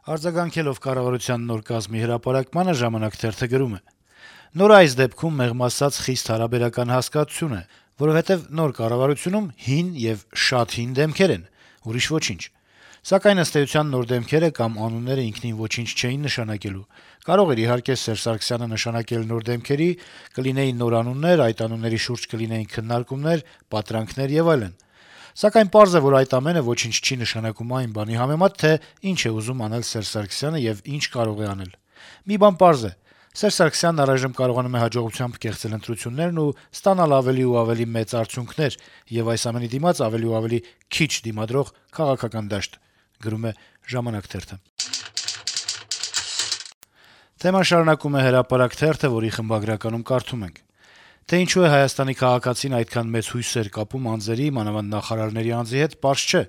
Արձագանքելով կառավարության նոր կազմի հրապարակմանը «Ժամանակ» թերթը գրում է. - «Նոր այս դեպքում մեղմ ասած խիստ հարաբերական հասկացություն է, որովհետեւ նոր կառավարությունում հին եւ շատ հին դեմքեր են, ուրիշ ոչինչ: Սակայն ըստ էության նոր դեմքերը կամ անունները ինքնին ոչինչ չէին նշանակելու: Կարող էր, իհարկե, Սերժ Սարգսյանը նշանակել նոր դեմքերի, կլինեին նոր անուններ, այդ անունների շուրջ կլինեին քննարկումներ, պատրանքներ եւ այլն: Սակայն պարզ է, որ այդ ամենը ոչինչ չի նշանակում այն բանի համեմատ, թե ինչ է ուզում անել Սերժ Սարգսյանը եւ ինչ կարող է անել: Մի բան պարզ է. Սերժ Սարգսյանն առայժմ կարողանում է հաջողությամբ կեղծել ընտրություններն ու ստանալ ավելի ու ավելի մեծ արդյունքներ եւ այս ամենի դիմաց ավելի ու ավելի քիչ դիմադրող քաղաքական դաշտ»: Թեման շարունակում է «Հրապարակ» թերթը, որի խմբագրականում կարդում ենք. - «Թե ինչու է Հայաստանի քաղաքացին այդքան մեծ հույսեր կապում անձերի, մանավանդ նախարարների անձի հետ, պարզ չէ: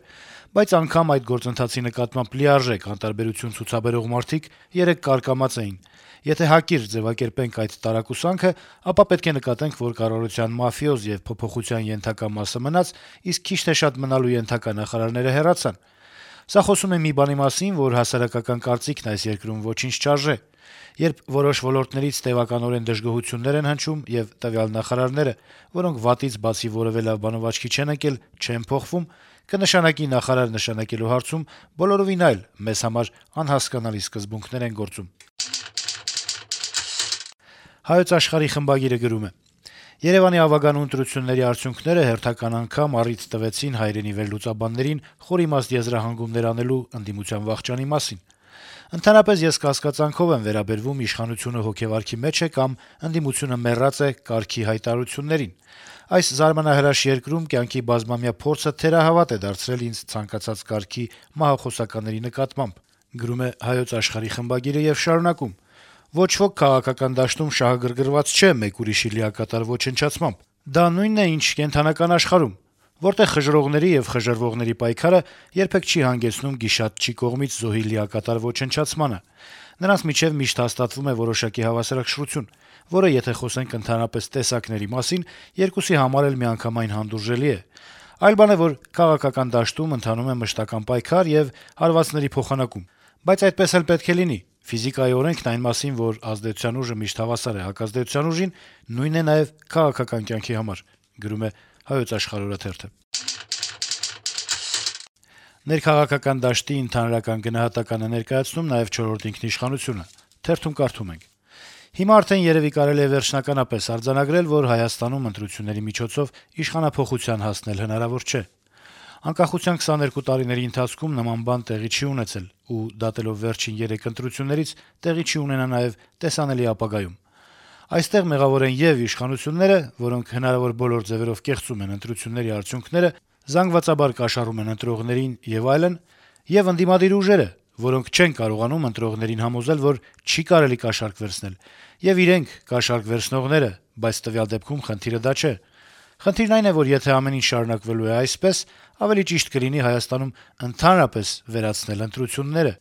Բայց անգամ այդ գործընթացի նկատմամբ լիարժեք անտարբերություն ցուցաբերող մարդիկ երեկ կարկամած էին: Եթե հակիրճ ձեւակերպենք այդ տարակուսանքը, ապա պետք է նկատենք, որ կառավարության մաֆիոզ եւ փոփոխության ենթակա մասը մնաց, իսկ քիչ թե շատ մնալու ենթակա նախարարները հեռացան: Սա խոսում է մի բանի մասին, որ հասարակական կարծիքն այս երկրում ոչինչ չարժե: Երբ որոշ ոլորտներից տեւականորեն դժգոհություններ են հնչում, եւ տվյալ նախարարները, որոնք վատից բացի որեւէ լավ բանով աչքի չեն ընկել, չեն փոխվում, կնշանակի նախարար նշանակելու հարցում բոլորովին այլ, մեզ համար անհասկանալի սկզբունքներ են գործում»: «Հայոց Աշխարհ»-ի խմբագիրը գրում է. - «Երեւանի ավագանու ընտրությունների արդյունքները հերթական անգամ առիթ տվեցին հայրենի վերլուծաբաններին խորիմաստ եզրահանգումներ անելու ընդդիմության վախճանի մասին: Ընդհանրապես, ես կասկածանքով եմ վերաբերվում իշխանությունը հոգեվարքի մեջ է կամ ընդդիմությունը մեռած է կարգի հայտարարություններին: Այս զարմանահրաշ երկրում կյանքի բազմամյա փորձը թերահավատ է դարձրել ինձ ցանկացած կարգի մահախոսականների նկատմամբ: Ոչ ոք քաղաքական դաշտում շահագրգռված չէ մեկ ուրիշի լիակատար ոչնչացմամբ: Դա նույնն է, ինչ կենդանական աշխարհում, որտեղ խժռողների եւ խժռվողների պայքարը երբեք չի հանգեցնում գիշատչի կողմից զոհի լիակատար ոչնչացմանը: Նրանց միջեւ միշտ հաստատվում է որոշակի հավասարակշռություն, որը, եթե խոսենք ընդհանրապես տեսակների մասին, երկուսի համար էլ միանգամայն հանդուրժելի է: Այլ բան է, որ քաղաքական դաշտում ընթանում է մշտական պայքար եւ հարվածների փոխանակում: Բայց այդպես էլ պետք է լինի: Ֆիզիկայի օրենքն այն մասին, որ ազդեցության ուժը միշտ հավասար է հակազդեցության ուժին, նույնն է նաեւ քաղաքական կյանքի համար»: Ներքաղաքական դաշտի ընդհանրական գնահատականը ներկայացնում նաեւ «Չորրորդ ինքնիշխանություն»-ը. - «Հիմա արդեն երեւի կարելի է վերջնականապես արձանագրել, որ Հայաստանում ընտրությունների միջոցով իշխանափոխության հասնել հնարավոր չէ: Անկախության 22 տարիների ընթացքում նման բան տեղի չի ունեցել, ու դատելով վերջին 3 ընտրություններից, տեղի չի ունենա նաեւ տեսանելի ապագայում: Այստեղ մեղավոր են ե'ւ իշխանությունները, որոնք հնարավոր բոլոր ձեւերով կեղծում են ընտրությունների արդյունքները, զանգվածաբար կաշառում են ընտրողներին եւ այլն, ե'ւ ընդդիմադիր ուժերը, որոնք չեն կարողանում ընտրողներին համոզել, որ չի կարելի կաշառք վերցնել, եւ իրենք կաշառք վերցնողները, բայց տվյալ դեպքում խնդիրը դա չէ: Խնդիրն այն է, որ եթե ամեն ինչ շարունակվելու է այսպես, ավելի ճիշտ կլինի Հայաստանում ընդհանրապես վերացնել ընտրությունները»: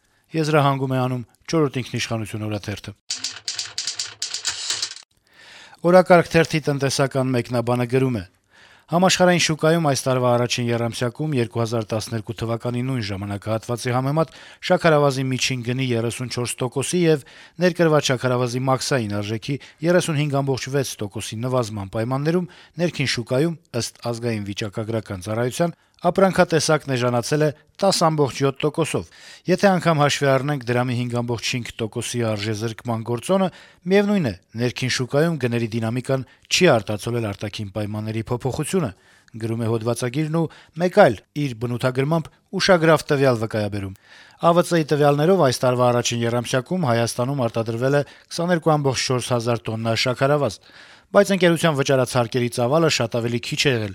«Օրակարգ» թերթի տնտեսական մեկնաբանը գրում է. - «Համաշխարհային շուկայում այս տարվա առաջին եռամսյակում 2012 թվականի նույն ժամանակահատվածի համեմատ շաքարավազի միջին գնի 34%-ի եւ ներկրված շաքարավազի մաքսային արժեքի 35.6%-ի նվազման պայմաններում ներքին շուկայում, ըստ Ազգային վիճակագրական ծառայության, ապրանքատեսակն էժանացել է 10.7%-ով: Եթե անգամ հաշվի առնենք դրամի 5.5%-ի արժեզրկման գործոնը, միեւնույն է, ներքին շուկայում գների դինամիկան չի արտացոլել արտաքին պայմանների փոփոխությունը»: Հոդվածագիրը մեկ այլ, իր բնութագրմամբ ուշագրավ տվյալ վկայաբերում. - «ԱՎԾ-ի տվյալներով այս տարվա առաջին եռամսյակում Հայաստանում արտադրվել է 22.4 հազար տոննա շաքարավազ: Բայց ընկերության վճարած հարկերի ծավալը շատ ավելի քիչ է եղել՝